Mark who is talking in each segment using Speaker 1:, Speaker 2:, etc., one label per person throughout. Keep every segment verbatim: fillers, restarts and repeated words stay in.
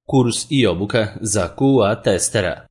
Speaker 1: Kurs i obuka za Q A testera.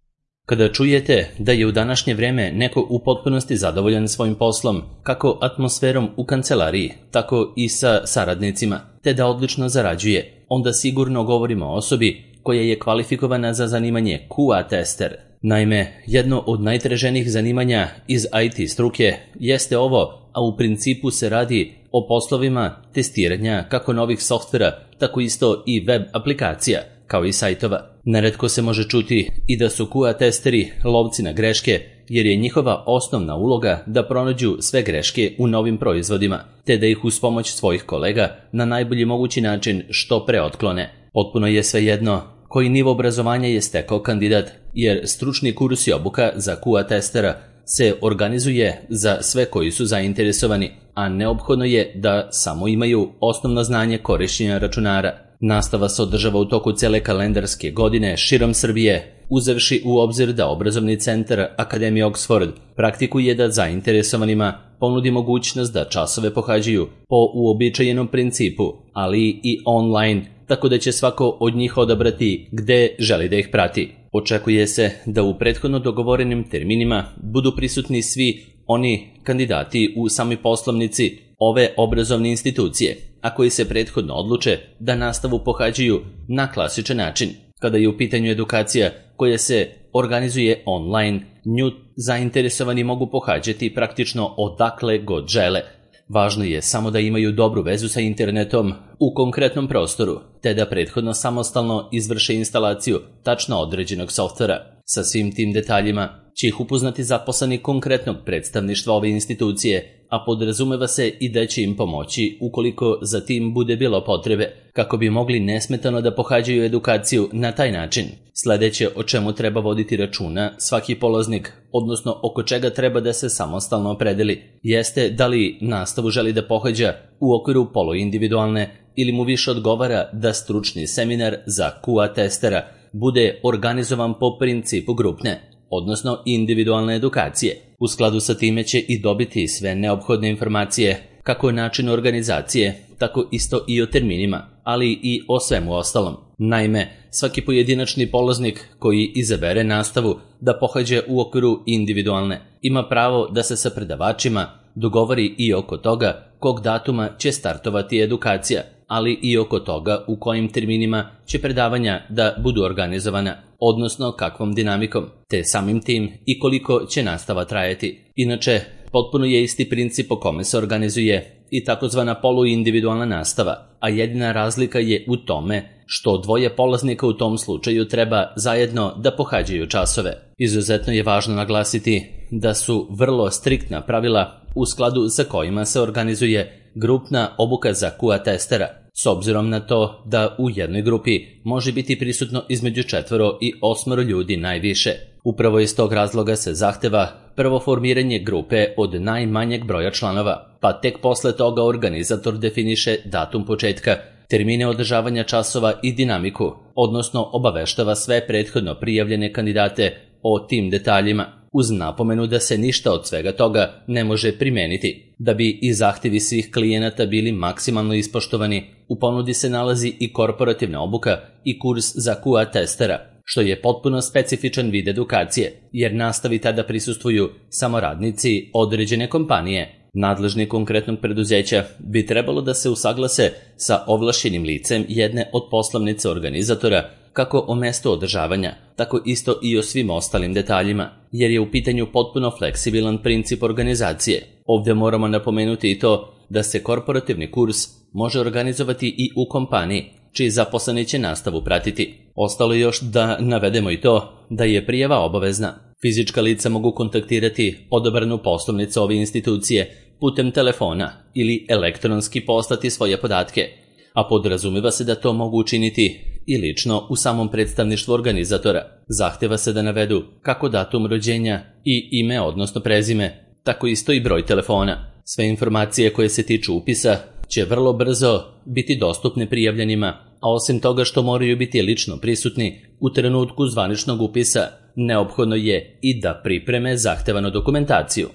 Speaker 1: Kada čujete da je u današnje vreme neko u potpunosti zadovoljan svojim poslom, kako atmosferom u kancelariji, tako i sa saradnicima, te da odlično zarađuje, onda sigurno govorimo o osobi koja je kvalifikovana za zanimanje Q A tester. Naime, jedno od najtraženijih zanimanja iz I T struke jeste ovo, a u principu se radi o poslovima testiranja kako novih softvera, tako isto i web aplikacija, kao i sajtova. Neretko se može čuti i da su Q A testeri lovci na greške, jer je njihova osnovna uloga da pronađu sve greške u novim proizvodima, te da ih uz pomoć svojih kolega na najbolji mogući način što pre otklone. Potpuno je svejedno koji nivo obrazovanja je stekao kandidat, jer stručni kurs i obuka za Q A testera se organizuje za sve koji su zainteresovani, a neophodno je da samo imaju osnovno znanje korišćenja računara. Nastava se održava u toku cele kalendarske godine širom Srbije, uzevši u obzir da obrazovni centar Akademije Oxford praktikuje da zainteresovanima ponudi mogućnost da časove pohađaju po uobičajenom principu, ali i online, tako da će svako od njih odabrati gde želi da ih prati. Očekuje se da u prethodno dogovorenim terminima budu prisutni svi oni kandidati u samoj poslovnici ove obrazovne institucije, a koji se prethodno odluče da nastavu pohađaju na klasičan način. Kada je u pitanju edukacija koja se organizuje online, nju zainteresovani mogu pohađati praktično odakle god žele. Važno je samo da imaju dobru vezu sa internetom u konkretnom prostoru, te da prethodno samostalno izvrše instalaciju tačno određenog softvera. Sa svim tim detaljima će ih upoznati zaposleni konkretnog predstavništva ove institucije, a podrazumeva se i da će im pomoći ukoliko za tim bude bilo potrebe, kako bi mogli nesmetano da pohađaju edukaciju na taj način. Sledeće o čemu treba voditi računa svaki polaznik, odnosno oko čega treba da se samostalno opredeli, jeste da li nastavu želi da pohađa u okviru poluindividualne ili mu više odgovara da stručni seminar za Q A testera bude organizovan po principu grupne, odnosno individualne edukacije. U skladu sa time će i dobiti sve neophodne informacije, kako o načinu organizacije, tako isto i o terminima, ali i o svemu ostalom. Naime, svaki pojedinačni polaznik koji izabere nastavu da pohađa u okviru individualne ima pravo da se sa predavačima dogovori i oko toga kog datuma će startovati edukacija, ali i oko toga u kojim terminima će predavanja da budu organizovana, odnosno kakvom dinamikom, te samim tim i koliko će nastava trajati. Inače, potpuno je isti princip po kome se organizuje i takozvana poluindividualna nastava, a jedina razlika je u tome što dvoje polaznika u tom slučaju treba zajedno da pohađaju časove. Izuzetno je važno naglasiti da su vrlo striktna pravila u skladu sa kojima se organizuje grupna obuka za Q A testera, s obzirom na to da u jednoj grupi može biti prisutno između četvoro i osmoro ljudi najviše. Upravo iz tog razloga se zahteva prvo formiranje grupe od najmanjeg broja članova, pa tek posle toga organizator definiše datum početka, termine održavanja časova i dinamiku, odnosno obaveštava sve prethodno prijavljene kandidate o tim detaljima, uz napomenu da se ništa od svega toga ne može primeniti. Da bi i zahtevi svih klijenata bili maksimalno ispoštovani, u ponudi se nalazi i korporativna obuka i kurs za Q A testera, što je potpuno specifičan vid edukacije, jer nastavi tada prisustvuju samo radnici određene kompanije. Nadležni konkretnog preduzeća bi trebalo da se usaglase sa ovlašćenim licem jedne od poslovnice organizatora, kako o mestu održavanja, tako isto i o svim ostalim detaljima, jer je u pitanju potpuno fleksibilan princip organizacije. Ovdje moramo napomenuti i to da se korporativni kurs može organizovati i u kompaniji, čiji zaposleni će nastavu pratiti. Ostalo još da navedemo i to da je prijava obavezna. Fizička lica mogu kontaktirati odabranu poslovnicu ove institucije putem telefona ili elektronski poslati svoje podatke, a podrazumeva se da to mogu učiniti i lično u samom predstavništvu organizatora. Zahteva se da navedu kako datum rođenja i ime, odnosno prezime, tako isto i broj telefona. Sve informacije koje se tiču upisa će vrlo brzo biti dostupne prijavljenima, a osim toga što moraju biti lično prisutni u trenutku zvaničnog upisa, neophodno je i da pripreme zahtevanu dokumentaciju.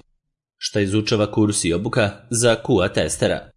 Speaker 1: Šta izučava kurs i obuka za Q A testera?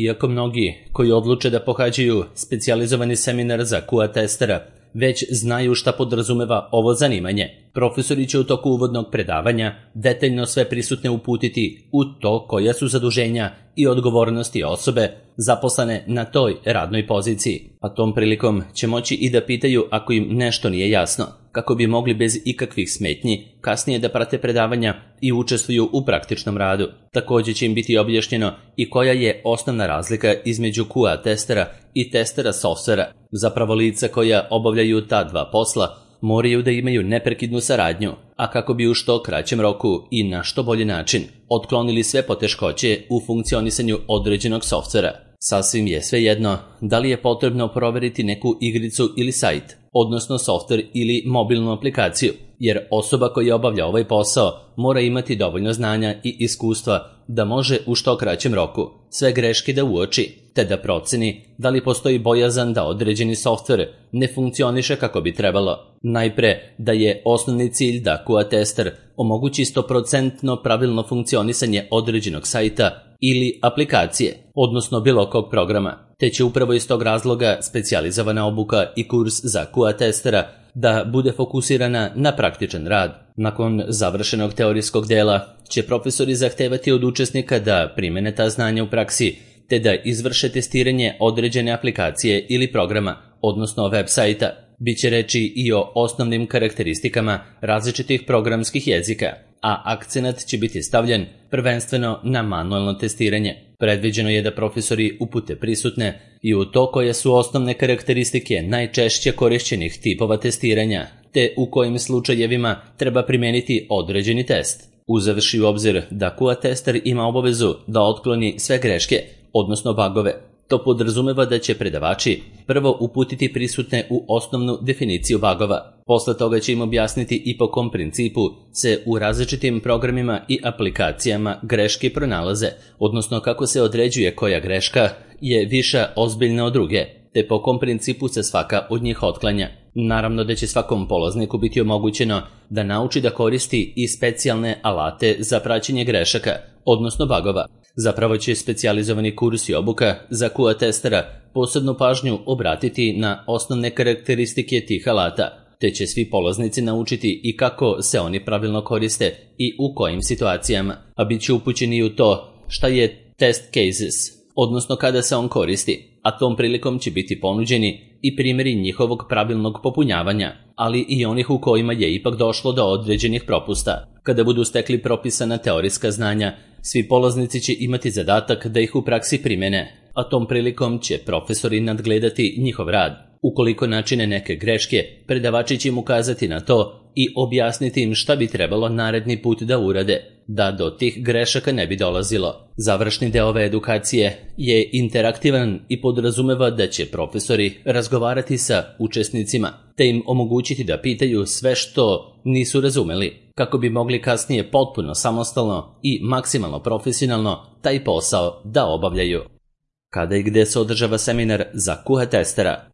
Speaker 1: Iako mnogi koji odluče da pohađaju specijalizovani seminar za Q A testera već znaju šta podrazumeva ovo zanimanje. Profesori će u toku uvodnog predavanja detaljno sve prisutne uputiti u to koja su zaduženja i odgovornosti osobe zaposlene na toj radnoj poziciji, a tom prilikom će moći i da pitaju ako im nešto nije jasno, kako bi mogli bez ikakvih smetnji kasnije da prate predavanja i učestvuju u praktičnom radu. Također će im biti objašnjeno i koja je osnovna razlika između Q A testera i testera softvera. Zapravo lica koja obavljaju ta dva posla moraju da imaju neprekidnu saradnju, a kako bi u što kraćem roku i na što bolji način otklonili sve poteškoće u funkcionisanju određenog softvera. Sasvim je svejedno da li je potrebno proveriti neku igricu ili sajt, odnosno softver ili mobilnu aplikaciju, jer osoba koja obavlja ovaj posao mora imati dovoljno znanja i iskustva da može u što kraćem roku sve greške da uoči, te da proceni da li postoji bojazan da određeni softver ne funkcioniše kako bi trebalo. Najpre da je osnovni cilj da Q A tester omogući sto posto pravilno funkcionisanje određenog sajta ili aplikacije, odnosno bilo kog programa, te će upravo iz tog razloga specijalizovana obuka i kurs za Q A testera da bude fokusirana na praktičan rad. Nakon završenog teorijskog dela će profesori zahtevati od učesnika da primene ta znanja u praksi, te da izvrše testiranje određene aplikacije ili programa, odnosno web sajta. Biće reči i o osnovnim karakteristikama različitih programskih jezika, a akcenat će biti stavljen prvenstveno na manualno testiranje. Predviđeno je da profesori upute prisutne i u to koje su osnovne karakteristike najčešće korišćenih tipova testiranja, te u kojim slučajevima treba primijeniti određeni test. Uzevši u obzir da Q A tester ima obavezu da otkloni sve greške, odnosno bugove, to podrazumeva da će predavači prvo uputiti prisutne u osnovnu definiciju bugova. Posle toga će im objasniti i po kom principu se u različitim programima i aplikacijama greške pronalaze, odnosno kako se određuje koja greška je viša ozbiljna od druge, te po kom principu se svaka od njih otklanja. Naravno da će svakom polazniku biti omogućeno da nauči da koristi i specijalne alate za praćenje grešaka, odnosno bugova. Zapravo će specijalizovani kurs i obuka za Q A testera posebnu pažnju obratiti na osnovne karakteristike tih alata, te će svi polaznici naučiti i kako se oni pravilno koriste i u kojim situacijama, a bit će upućeni u to šta je test cases, odnosno kada se on koristi, a tom prilikom će biti ponuđeni i primjeri njihovog pravilnog popunjavanja, ali i onih u kojima je ipak došlo do određenih propusta. Kada budu stekli propisana teorijska znanja, svi polaznici će imati zadatak da ih u praksi primene, a tom prilikom će profesori nadgledati njihov rad. Ukoliko načine neke greške, predavači će im ukazati na to i objasniti im šta bi trebalo naredni put da urade, da do tih grešaka ne bi dolazilo. Završni deo ove edukacije je interaktivan i podrazumeva da će profesori razgovarati sa učesnicima, te im omogućiti da pitaju sve što nisu razumeli, kako bi mogli kasnije potpuno samostalno i maksimalno profesionalno taj posao da obavljaju. Kada i gde se održava seminar za Q A testera?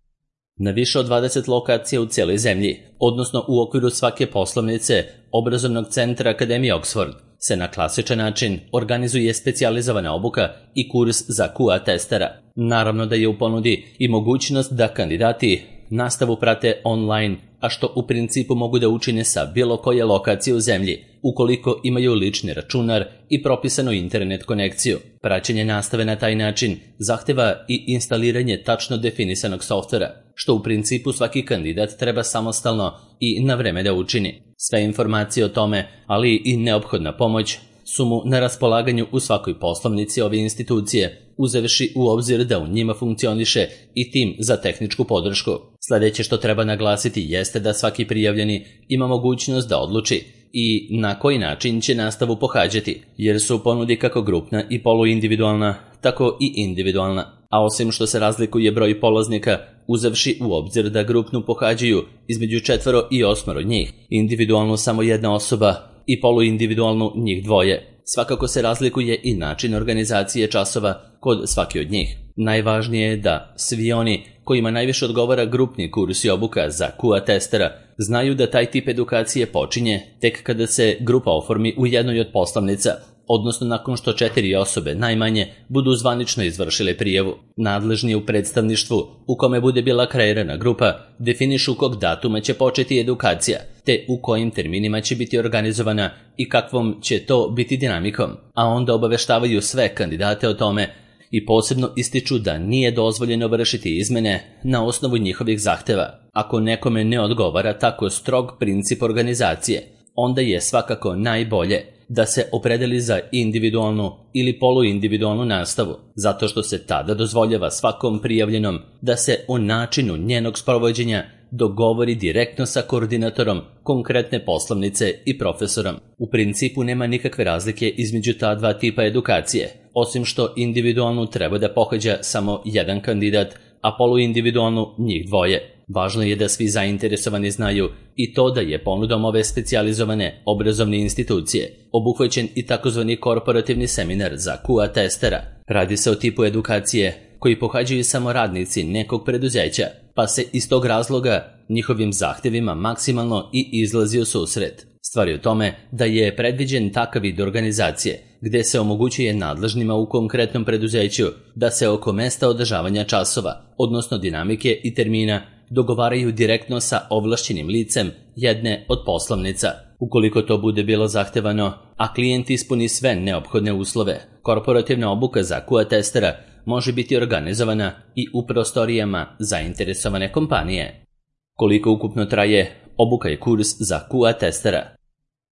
Speaker 1: Na više od dvadeset lokacija u cijeloj zemlji, odnosno u okviru svake poslovnice obrazovnog centra Akademije Oxford, se na klasičan način organizuje specijalizovana obuka i kurs za Q A testera. Naravno da je u ponudi i mogućnost da kandidati nastavu prate online, a što u principu mogu da učine sa bilo koje lokacije u zemlji, ukoliko imaju lični računar i propisanu internet konekciju. Praćenje nastave na taj način zahteva i instaliranje tačno definisanog softvera, što u principu svaki kandidat treba samostalno i na vreme da učini. Sve informacije o tome, ali i neophodna pomoć, su mu na raspolaganju u svakoj poslovnici ove institucije, uzevši u obzir da u njima funkcioniše i tim za tehničku podršku. Sljedeće što treba naglasiti jeste da svaki prijavljeni ima mogućnost da odluči i na koji način će nastavu pohađati, jer su u ponudi kako grupna i poluindividualna, tako i individualna. A osim što se razlikuje broj polaznika, uzevši u obzir da grupnu pohađaju između četvero i osmero njih, individualnu samo jedna osoba i poluindividualnu njih dvoje. Svakako se razlikuje i način organizacije časova kod svake od njih. Najvažnije je da svi oni kojima najviše odgovara grupni kurs i obuka za Q A testera znaju da taj tip edukacije počinje tek kada se grupa oformi u jednoj od poslovnica, odnosno nakon što četiri osobe najmanje budu zvanično izvršile prijavu. Nadležni u predstavništvu u kome bude bila kreirana grupa definišu kog datuma će početi edukacija, te u kojim terminima će biti organizovana i kakvom će to biti dinamikom, a onda obaveštavaju sve kandidate o tome i posebno ističu da nije dozvoljeno vršiti izmene na osnovu njihovih zahteva. Ako nekome ne odgovara tako strog princip organizacije, onda je svakako najbolje da se opredeli za individualnu ili poluindividualnu nastavu, zato što se tada dozvoljava svakom prijavljenom da se o načinu njenog sprovođenja dogovori direktno sa koordinatorom konkretne poslovnice i profesorom. U principu nema nikakve razlike između ta dva tipa edukacije, osim što individualnu treba da pohađa samo jedan kandidat, a poluindividualnu njih dvoje. Važno je da svi zainteresovani znaju i to da je ponudom ove specijalizovane obrazovne institucije obuhvaćen i takozvani korporativni seminar za Q A testera. Radi se o tipu edukacije koji pohađaju samo radnici nekog preduzeća, pa se iz tog razloga njihovim zahtevima maksimalno i izlazi u susret. Stvar je u tome da je predviđen takav vid organizacije gde se omogućuje nadležnima u konkretnom preduzeću da se oko mesta održavanja časova, odnosno dinamike i termina, dogovaraju direktno sa ovlašćenim licem jedne od poslovnica. Ukoliko to bude bilo zahtevano, a klijent ispuni sve neophodne uslove, korporativna obuka za Q A testera može biti organizovana i u prostorijama zainteresovane kompanije. Koliko ukupno traje obuka i kurs za Q A testera?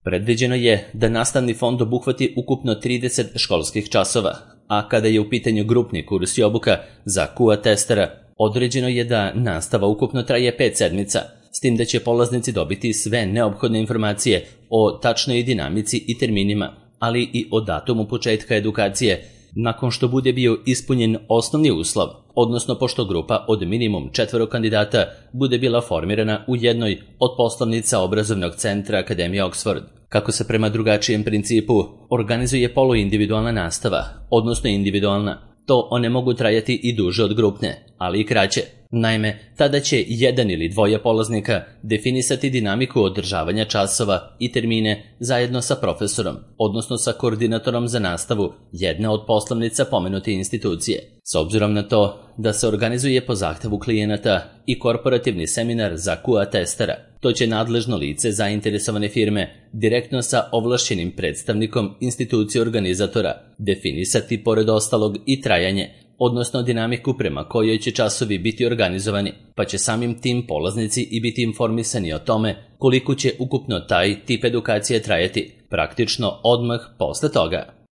Speaker 1: Predviđeno je da nastavni fond obuhvati ukupno trideset školskih časova, a kada je u pitanju grupni kurs i obuka za Q A testera, određeno je da nastava ukupno traje pet sedmica, s tim da će polaznici dobiti sve neophodne informacije o tačnoj dinamici i terminima, ali i o datumu početka edukacije, nakon što bude bio ispunjen osnovni uslov, odnosno pošto grupa od minimum četvoro kandidata bude bila formirana u jednoj od poslovnica obrazovnog centra Akademije Oxford. Kako se prema drugačijem principu organizuje poluindividualna nastava, odnosno individualna, to one mogu trajati i duže od grupne, ali i kraće. Naime, tada će jedan ili dvoje polaznika definisati dinamiku održavanja časova i termine zajedno sa profesorom, odnosno sa koordinatorom za nastavu jedne od poslovnica pomenute institucije. S obzirom na to da se organizuje po zahtevu klijenata i korporativni seminar za Q A testera, to će nadležno lice zainteresovane firme direktno sa ovlašćenim predstavnikom institucije organizatora definisati pored ostalog i trajanje, odnosno dinamiku prema kojoj će časovi biti organizovani, pa će samim tim polaznici i biti informisani o tome koliko će ukupno taj tip edukacije trajati, praktično odmah posle toga.